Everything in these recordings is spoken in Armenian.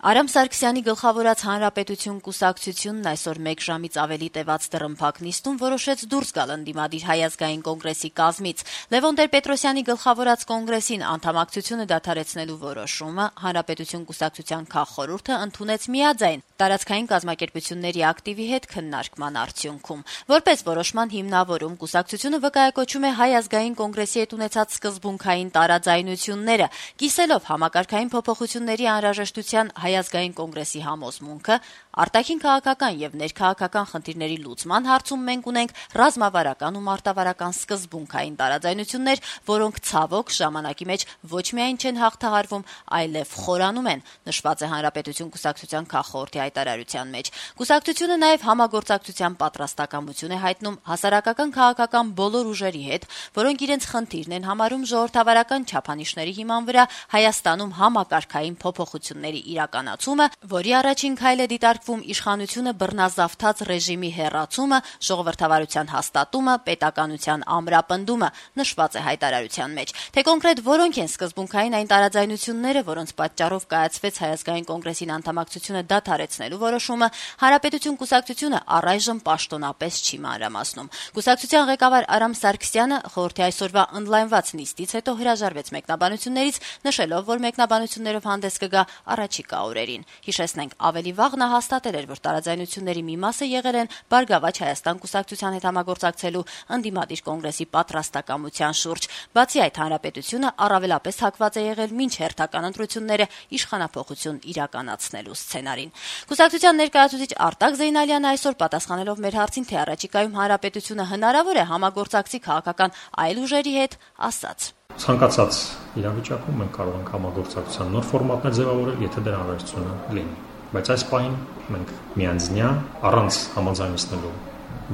Արամ Սարգսյանի գլխավորած Հանրապետություն կուսակցությունն այսօր 1 ժամից ավելի տևած դռնփակ նիստում որոշեց դուրս գալ ընդդիմադիր Հայ ազգային կոնգրեսի կազմից։ Լևոն Տեր-Պետրոսյանի գլխավորած կոնգրեսին անդամակցությունը դադարեցնելու որոշումը Հանրապետություն կուսակցության քաղխորհուրդը ընդունեց միաձայն տարածքային կազմակերպությունների ակտիվի հետ քննարկման արդյունքում։ Որպես որոշման հիմնավորում կուսակցությունը վկայակոչում է Հայ ազգային կոնգրեսի հետ ունեցած սկզբունքային տարաձայնությունները, կիսելով համակարգային փոփոխությունների անհրաժեշտության Հայ ազգային կոնգրեսի համոզմունքը, արտաքին քաղաքական եւ ներքաղաքական խնդիրների լուծման հարցում մենք ունենք ռազմավարական ու մարտավարական սկզբունքային տարաձայնություններ, որոնք ցավոք ժամանակի մեջ ոչ միայն չեն հաղթահարվում, այլև խորանում են, նշված է Հանրապետություն կուսակցության քաղխորհրդի հայտարարության մեջ։ Կուսակցությունը նաեւ համագործակցության պատրաստակամություն է հայտնում հասարակական քաղաքական բոլոր ուժերի հետ, որոնք իրենց խնդիրն են համարում ժողովրդավարական չափանիշների հիման վրա Հայաստանում համակարգային փոփոխությունների իրականացումը, որի առաջին քայլը դիտարկվում իշխանությունը բռնազավթած ռեժիմի հեռացումը, ժողովրդավարության հաստատումը, պետականության ամրապնդումը, նշված է հայտարարության մեջ։ Թե կոնկրետ որոնք են սկզբունքային այն տարաձայնությունները, որոնց պատճառով կայացվեց Հայ ազգային կոնգրեսին անդամակցությունը դադարեցնելու որոշումը, Հանրապետություն կուսակցությունը առայժմ պաշտոնապես չի մանրամասնում։ Կուսակցության ղեկավար Արամ Սարգսյանը խորհրդի այսօրվա օնլայնված նիստից հետո հրաժարվեց մեկնաբանություններից, նշելով, որ մեկնաբանություններով հանդես կգա առաջիկա օրերին։ Հիշեցնենք, ավելի վաղ նա հաստատել էր, որ տարաձայնությունների մի մասը եղել են Բարգավաճ Հայաստան կուսակցության հետ համագործակցելու ընդդիմադիր կոնգրեսի պատրաստակամության շուրջ։ Բացի այդ, Հանրապետությունը առավելապես հակված է եղել մինչ հերթական ընտրությունները իշխանափոխություն իրականացնելու սցենարին։ Կուսակցության ներկայացուցիչ Արտակ Զեյնալյանը այսօր պատասխանելով մեր հարցին, թե առաջիկայում Հանրապետությունը հնարավոր է համագործակցի քաղաքական այլ ուժերի հետ, ասաց. Ցանկացած իրավիճակում մենք կարող ենք համագործակցության նոր ֆորմատներ ձևավորել, եթե դրա անհրաժեշտությունը լինի։ Բայց այս պահին մենք միանձնյա առանց համաձայնեցնելու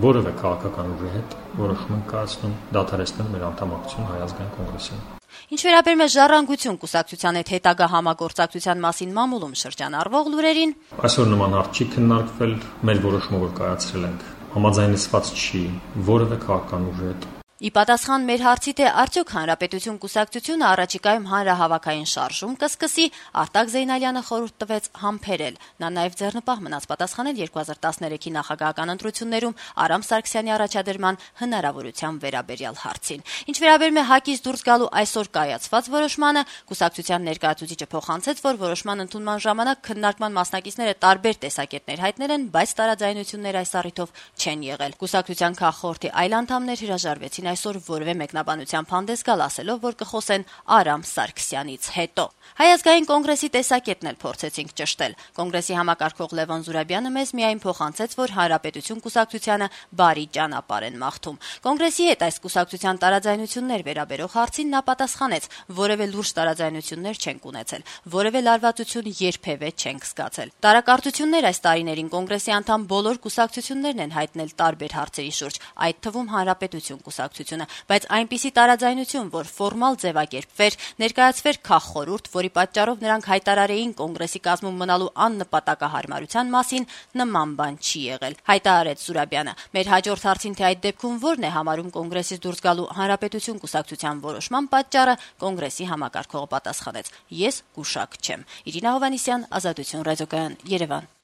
որևէ քաղաքական ուժի հետ որոշում ենք կայացնում դադարեցնել մեր անդամակցությունը Հայ ազգային կոնգրեսին։ Ինչ վերաբերում է Ժառանգություն կուսակցության հետ հետագա համագործակցության մասին մամուլում շրջանառվող լուրերին, այսօր նման հարց չի քննարկվել, մեր որոշումը որ կայացրել ենք համաձայնեցված չի որևէ քաղաքական ուժի հետ։ Ի պատասխան մեր հարցի, թե արդյոք Հանրապետություն կուսակցությունը առաջիկայում հանրահավաքային շարժում կսկսի, Արտակ Զեյնալյանը խորհուրդ տվեց համբերել։ Նա նաև ձեռնպահ մնաց պատասխանել 2013-ի նախագահական ընտրություններում Արամ Սարգսյանի առաջադրման հնարավորության վերաբերյալ հարցին։ Ինչ վերաբերում է ՀԱԿ-ից դուրս գալու այսօր կայացված որոշմանը, կուսակցության ներկայացուցիչը փոխանցեց, որ որոշման ընդունման ժամանակ քննարկման մասնակիցները տարբեր տեսակետներ հայտնել են, բայց տարաձայնություններ այս առիթով չեն եղել։ Կուսակցության քաղխորհրդի այլ անդամներ հրաժարվեցին այսօր որևէ մեկնաբանությամբ հանդես գալ, ասելով, որ կխոսեն Արամ Սարգսյանից հետո։ Հայ ազգային կոնգրեսի տեսակետն էլ փորձեցինք ճշտել։ Կոնգրեսի համակարգող Լևոն Զուրաբյանը մեզ միայն փոխանցեց, որ Հանրապետություն կուսակցությանը բարի ճանապարհ են մաղթում։ Կոնգրեսի հետ այս կուսակցության տարաձայնություններ վերաբերող հարցին նա պատասխանեց. որևէ լուրջ տարաձայնություններ չենք ունեցել, որևէ լարվածություն երբևէ չենք զգացել։ Տարակարծություններ այս տարիներին կոնգրեսի անդամ բոլոր կուսակցություններն են հայտնել տարբեր հարցերի շուրջ, այդ թվում Հանրապետություն կուսակցությունը, բայց այնպիսի տարաձայնություն, որ ֆորմալ ձևակերպվեր, ներկայացվեր քաղխորհուրդ, որի պատճառով նրանք հայտարարեին կոնգրեսի կազմում մնալու աննպատակահարմարության մասին, նման բան չի եղել, հայտարարեց Զուրաբյանը։ Մեր հաջորդ հարցին, թե այդ դեպքում որն է համարում կոնգրեսից դուրս գալու Հանրապետություն կուսակցության որոշման պատճառը, կոնգրեսի համակարգողը պատասխանեց. ես գուշակ չեմ։ Իրինա Հովհաննիսյան, Ազատություն ռադիոկայան, Երևան։